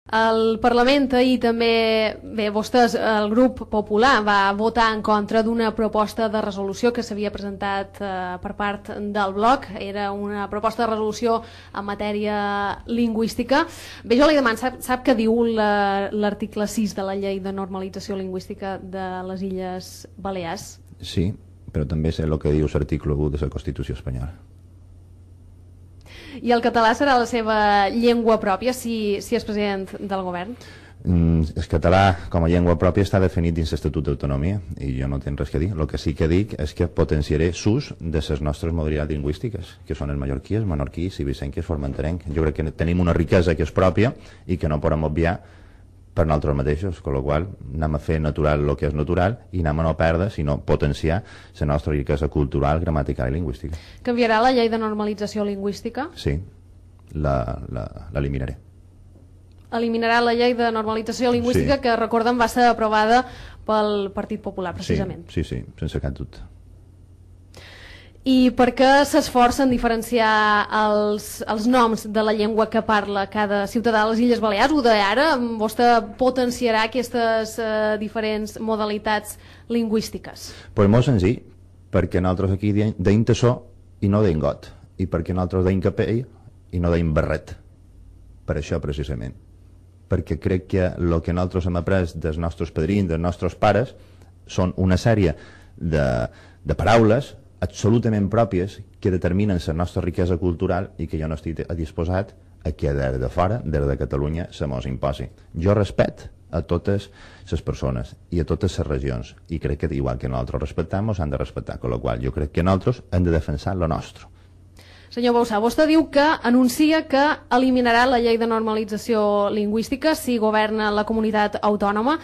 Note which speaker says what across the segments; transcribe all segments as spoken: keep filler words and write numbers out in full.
Speaker 1: El Parlament ahir també, bé, vostès, el grup popular va votar en contra d'una proposta de resolució que s'havia presentat eh, per part del bloc. Era una proposta de resolució en matèria lingüística. Bé, jo li demano, sap, sap què diu l'article sis de la llei de normalització lingüística de les Illes Balears?
Speaker 2: Sí, però també sé el que diu l'article u de la Constitució espanyola.
Speaker 1: I el català serà la seva llengua pròpia si, si és president del govern?
Speaker 2: Mm, el català com a llengua pròpia està definit dins l'Estatut d'Autonomia i jo no tinc res que dir. El que sí que dic és que potenciaré l'ús de les nostres modalitats lingüístiques, que són el mallorquí, el menorquí, el vicenc i el formenterenc. Jo crec que tenim una riquesa que és pròpia i que no podem obviar per nosaltres mateixos, amb la qual anem a fer natural el que és natural i anem a no perdre, sinó potenciar la nostra riquesa cultural, gramatical i lingüística.
Speaker 1: Canviarà la llei de normalització lingüística?
Speaker 2: Sí, l'eliminaré.
Speaker 1: Eliminarà la llei de normalització lingüística sí. Que, recordem, va ser aprovada pel Partit Popular, precisament.
Speaker 2: Sí, sí, sí, sense cap dubte.
Speaker 1: I per què s'esforça en diferenciar els, els noms de la llengua que parla cada ciutadà de les Illes Balears? O d'ara vostè potenciarà aquestes eh, diferents modalitats lingüístiques?
Speaker 2: Pues molt senzill, perquè nosaltres aquí deim tassó i no deim got, i perquè nosaltres deim capell i no deim barret. Per això, precisament. Perquè crec que el que nosaltres hem après dels nostres padrins, dels nostres pares, són una sèrie de, de paraules absolutament pròpies que determinen la nostra riquesa cultural i que jo no estic disposat a que des de fora, des de Catalunya, se mos imposi. Jo respecte a totes les persones i a totes les regions i crec que igual que nosaltres respectem ens han de respectar, amb la qual jo crec que nosaltres hem de defensar lo nostre.
Speaker 1: Senyor Bausà, vostè diu que anuncia que eliminarà la llei de normalització lingüística si governa la comunitat autònoma.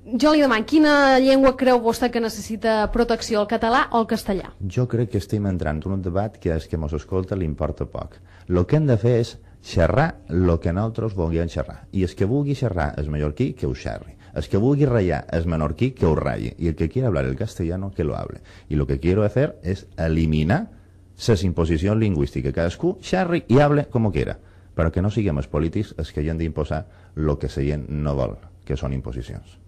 Speaker 1: Jo li demano, quina llengua creu vostè que necessita protecció, el català o el castellà?
Speaker 2: Jo crec que estem entrant en un debat que és que mos escolta li importa poc. El que hem de fer és xerrar el que nosaltres vulguem xerrar. I el que vulgui xerrar el mallorquí, que ho xerri. El que vulgui ratllar el menorquí, que ho ratlli. I el que quiera hablar el castellano, que lo hable. I lo que quiero hacer es eliminar les imposicions lingüístiques. Cadascú xerri i hable com quiera. Però que no siguem els polítics els que hi han d'imposar el que la gent no vol, que són imposicions.